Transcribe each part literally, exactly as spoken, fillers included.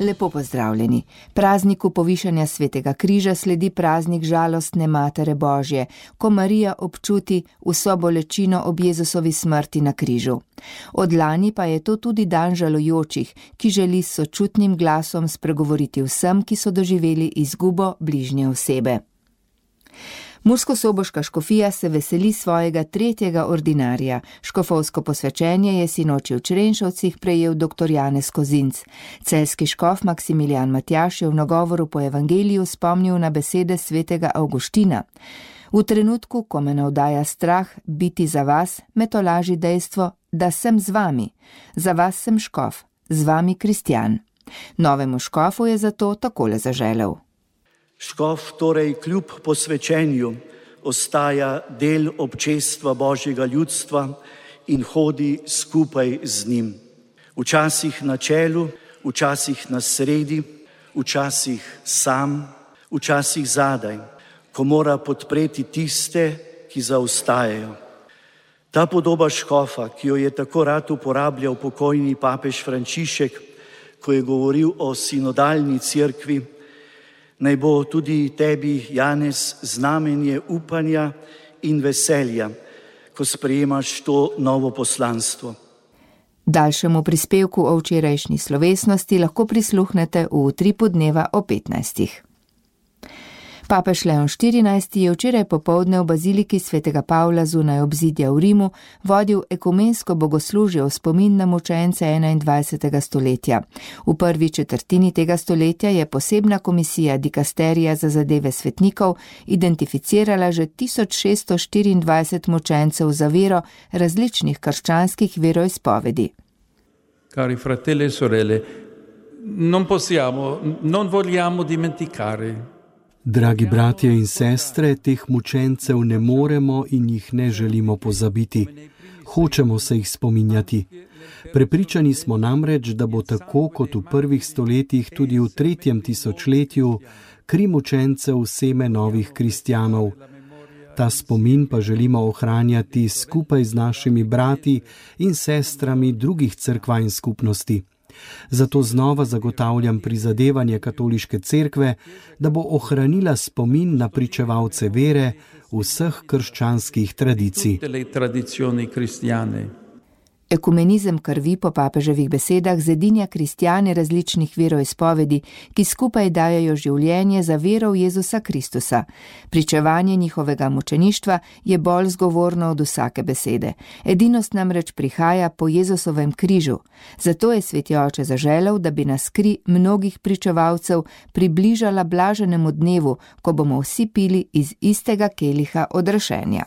Lepo pozdravljeni. Prazniku povišanja Svetega križa sledi praznik žalostne Matere Božje, ko Marija občuti vso bolečino ob Jezusovi smrti na križu. Od lani pa je to tudi dan žalujočih, ki želi s sočutnim glasom spregovoriti vsem, ki so doživeli izgubo bližnje osebe. Murskosoboška škofija se veseli svojega tretjega ordinarja. Škofovsko posvečenje je sinoči v Črenšovcih prejel dr. Janez Kozinc. Celjski škof Maksimilijan Matjaž je v nagovoru po evangeliju spomnil na besede svetega Avguština. V trenutku, ko me navdaja strah biti za vas, me tolaži dejstvo, da sem z vami. Za vas sem škof, z vami kristjan. Novemu škofu je zato takole zaželel. Škof torej kljub posvečenju ostaja del občestva Božjega ljudstva in hodi skupaj z njim. Včasih na čelu, včasih na sredi, včasih sam, včasih zadaj, ko mora podpreti tiste, ki zaostajajo. Ta podoba škofa, ki jo je tako rad uporabljal pokojni papež Frančišek, ko je govoril o sinodalni cerkvi, naj bo tudi tebi, Janez, znamenje upanja in veselja, ko sprejemaš to novo poslanstvo. Daljšemu prispevku o včerajšnji slovesnosti lahko prisluhnete v utripu dneva o petnajstih. Papež Leon štirinajsti je včeraj popoldne v baziliki svetega Pavla zunaj obzidja v Rimu vodil ekumensko bogoslužje v spomin na mučence enaindvajsetega stoletja. V prvi četrtini tega stoletja je posebna komisija dikasterija za zadeve svetnikov identificirala že tisoč šeststo štiriindvajset mučencev za vero različnih krščanskih veroizpovedi. Cari fratelli e sorelle, non possiamo, non vogliamo dimenticare. Dragi bratje in sestre, teh mučencev ne moremo in jih ne želimo pozabiti. Hočemo se jih spominjati. Prepričani smo namreč, da bo tako kot v prvih stoletjih tudi v tretjem tisočletju kri mučencev seme novih kristjanov. Ta spomin pa želimo ohranjati skupaj z našimi brati in sestrami drugih cerkva in skupnosti. Zato znova zagotavljam prizadevanje katoliške cerkve, da bo ohranila spomin na pričevalce vere vseh krščanskih tradicij. Ekumenizem krvi po papeževih besedah zedinja kristjane različnih veroizpovedi, ki skupaj dajejo življenje za vero v Jezusa Kristusa. Pričevanje njihovega mučeništva je bolj zgovorno od vsake besede. Edinost namreč prihaja po Jezusovem križu. Zato je sveti oče zaželel, da bi nas kri mnogih pričevalcev približala blaženemu dnevu, ko bomo vsi pili iz istega keliha odrešenja.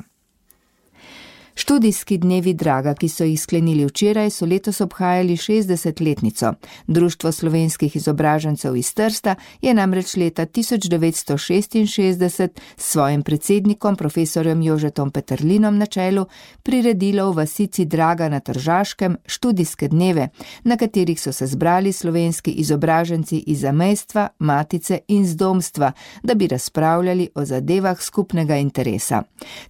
Študijski dnevi Draga, ki so jih sklenili včeraj, so letos obhajali šestdesetletnico. Društvo slovenskih izobražencev iz Trsta je namreč leta tisoč devetsto šestinšestdeset s svojim predsednikom, profesorjem Jožetom Peterlinom na čelu, priredilo v vasici Draga na Tržaškem študijske dneve, na katerih so se zbrali slovenski izobraženci iz zamejstva, matice in zdomstva, da bi razpravljali o zadevah skupnega interesa.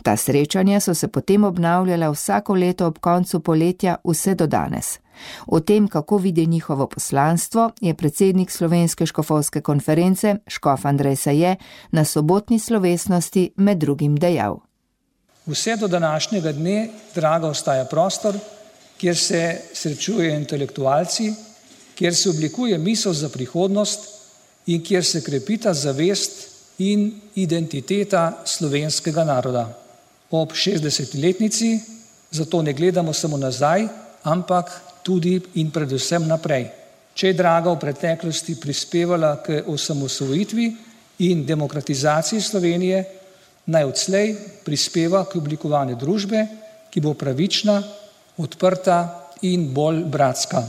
Ta srečanja so se potem obnavljala vsako leto ob koncu poletja vse do danes. O tem, kako vidi njihovo poslanstvo, je predsednik Slovenske škofovske konference, škof Andrej Saje, na sobotni slovesnosti med drugim dejal. Vse do današnjega dne Draga ostaja prostor, kjer se srečujejo intelektualci, kjer se oblikuje misel za prihodnost in kjer se krepita zavest in identiteta slovenskega naroda. Ob šestdesetletnici zato ne gledamo samo nazaj, ampak tudi in predvsem naprej. Če je Draga v preteklosti prispevala k osamosvojitvi in demokratizaciji Slovenije, naj odslej prispeva k oblikovanju družbe, ki bo pravična, odprta in bolj bratska.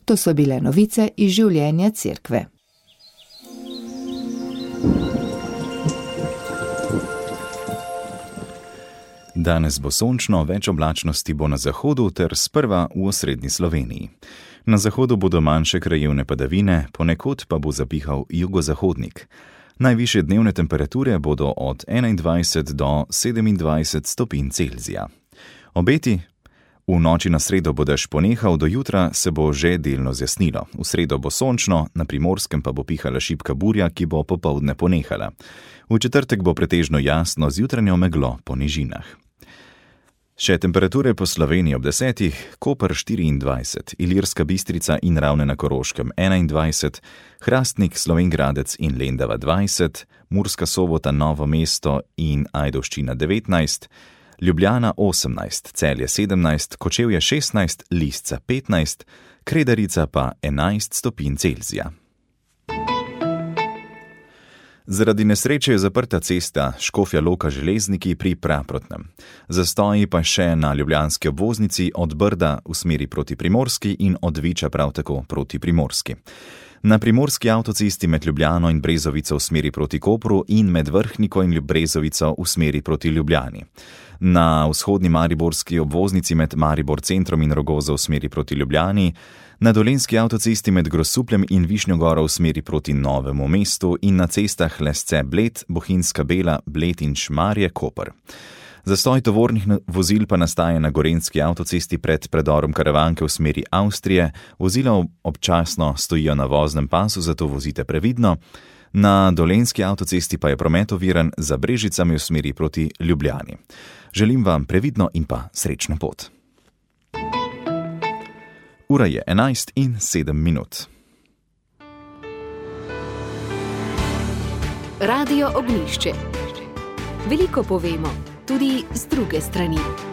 To so bile novice iz življenja cerkve. Danes bo sončno, več oblačnosti bo na zahodu ter sprva v osrednji Sloveniji. Na zahodu bodo manjše krajevne padavine, ponekod pa bo zapihal jugozahodnik. Najvišje dnevne temperature bodo od enaindvajset do sedemindvajset stopinj Celzija. Obeti: V noči na sredo bo dež ponehal, do jutra se bo že delno zjasnilo. V sredo bo sončno, na Primorskem pa bo pihala šibka burja, ki bo popoldne ponehala. V četrtek bo pretežno jasno z jutranjo meglo po nižinah. Še temperature po Sloveniji ob desetih: Koper štiriindvajset, Ilirska Bistrica in Ravne na Koroškem enaindvajset, Hrastnik, Slovenj Gradec in Lendava dvajset, Murska Sobota, Novo mesto in Ajdovščina devetnajst, Ljubljana osemnajst, Celje sedemnajst, Kočevje šestnajst, Lisca petnajst, Kredarica pa enajst stopinj Celzija. Zaradi nesreče je zaprta cesta Škofja Loka-Železniki pri Praprotnem. Zastoji pa še na ljubljanski obvoznici od Brda v smeri proti Primorski in od Viča prav tako proti Primorski. Na primorski avtocesti med Ljubljano in Brezovico v smeri proti Kopru in med Vrhniko in Brezovico v smeri proti Ljubljani. Na vzhodni mariborski obvoznici med Maribor centrom in Rogozo v smeri proti Ljubljani, na dolenjski avtocesti med Grosupljem in Višnjo Goro v smeri proti Novemu mestu in na cestah Lesce Bled, Bohinjska Bela, Bled in Šmarje Koper. Zastoj tovornih vozil pa nastaja na gorenjski avtocesti pred predorom Karavanke v smeri Avstrije. Vozila občasno stojijo na voznem pasu, zato vozite previdno. Na dolenjski avtocesti pa je promet oviran za Brežicami v smeri proti Ljubljani. Želim vam previdno in pa srečno pot. Ura je enajst in sedem minut. Radio Ognjišče. Veliko povemo, tudi z druge strani.